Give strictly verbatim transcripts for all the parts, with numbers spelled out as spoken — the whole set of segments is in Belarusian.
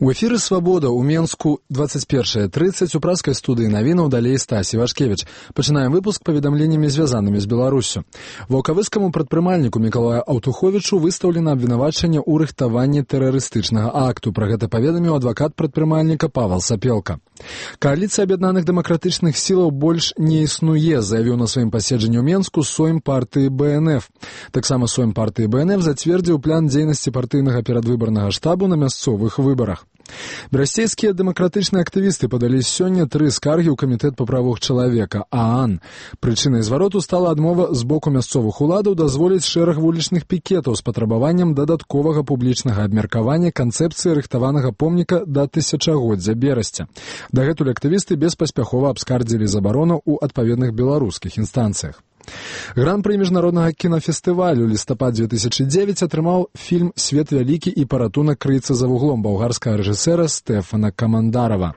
У эфіры «Свабода» ў Менску двадцать первая тридцать у праскай студыі навінаў далей Стасі Вашкевіч. Пачынаем выпуск паведамленнямі, звязанымі з Беларуссю. Ваўкавыскаму прадпрымальніку Мікалаю Аўтуховічу выстаўлена абвінавачанне ў рыхтаванні тэрарыстычнага акту. Пра гэта паведаміў адвакат прадпрымальніка Павел Сапелка. Кааліцыя аб'яднаных дэмакратычных сілаў больш не існуе, заявіў на сваім паседжанні ў Менску сойм партыі бэ эн эф. Таксама сойм партыі бэ эн эф зацвердзіў план дзейнасці партыйнага перадвыбарнага штабу на мясцовых выбарах. Берасцейскія дэмакратычныя актывісты падалі сёння тры скаргі ў камітэт па правах чалавека ААН. Прычынай звароту стала адмова з боку мясцовых уладаў дазволіць шэраг вулічных пікетаў з патрабаваннем дадатковага публічнага абмеркавання канцэпцыі рыхтаванага помніка да тысячагоддзя Берасця. Дагэтуль актывісты беспаспяхова абскардзілі забарону ў адпаведных беларускіх інстанцыях. Гран-пры міжнароднага кінафестывалю лістапад две тысячи девять атрымаў фільм «Свет вялікі» і «Паратунак крыецца за вуглом» балгарскага рэжысэра Стэфана Камандарава.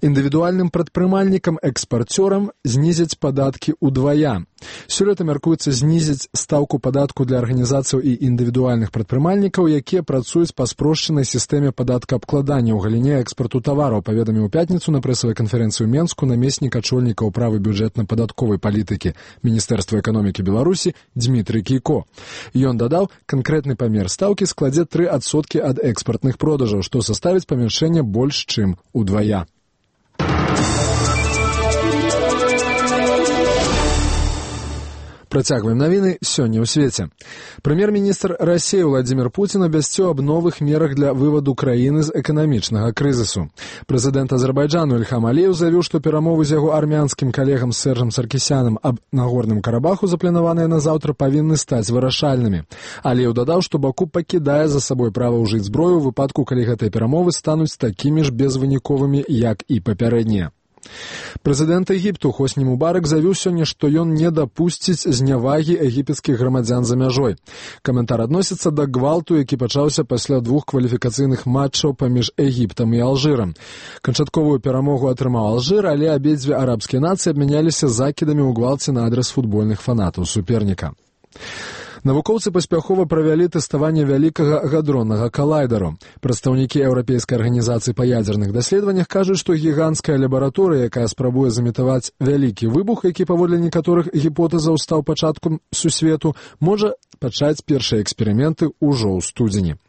Індывідуальным прадпрымальнікам-экспарцёрам знізяць падаткі ўдвая. Сёлета мяркуецца знізіць стаўку падатку для арганізацыяў і індывідуальных прадпрымальнікаў, якія працуюць па спрошчанай сістэме падаткаабкладання ў галіне экспарту тавараў, паведаміў у пятніцу на прэсавай канферэнцыі ў Менску намеснік ачольніка ўправы бюджэтна-падатковай палітыкі Міністэрства эканомікі Беларусі Дмітрый Кійко. Ён дадаў, канкрэтны памер стаўкі складзе тры адсоткі ад экспартных продажаў, што составіць памяншэнне больш чым удвая. Працягваем навіны сёння ў свеце. Прэм'ер-міністр Расіі Владзімір Пуцін абвясціў аб новых мерах для вываду краіны з эканамічнага крызісу. Прэзідэнт Азербайджану Ільхам Аліеў заявіў, што перамовы з яго армянскім калегам Сержам Саркісянам аб Нагорным Карабаху, запланаваныя на заўтра, павінны стаць вырашальнымі. Аліеў дадаў, што Баку пакідае за сабой права ўжыць зброю ў выпадку, калі гэтыя перамовы стануць такімі ж безвыніковымі, як і папярэднія. Прэзідэнт Егіпту Хосні Мубарак заявіў сёння, што ён не дапусціць знявагі егіпецкіх грамадзян за мяжой. Каментар адносіцца да гвалту, які пачаўся пасля двух кваліфікацыйных матчаў паміж Егіптам і Алжырам. Канчатковую перамогу атрымаў Алжыр, але абедзве арабскія нацыі абмяняліся закідамі ў гвалце на адрас футбольных фанатаў суперніка. Навукоўцы паспяхова правялі тэставанне вялікага гадроннага калайдару. Прадстаўнікі Еўрапейскай арганізацыі па ядзерных даследаваннях кажуць, што гіганцкая лабараторыя, якая спрабуе замітаваць вялікі выбух, які паводле некаторых гіпотэзаў стаў пачаткам сусвету, можа пачаць першыя эксперыменты ўжо ў студзені.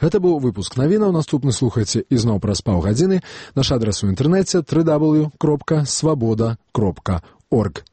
Гэта быў выпуск навінаў. Наступны слухайце ізноў праз паўгадзіны. Наш адрас у інтэрнэце дабл ю дабл ю дабл ю кропка свабода кропка орг.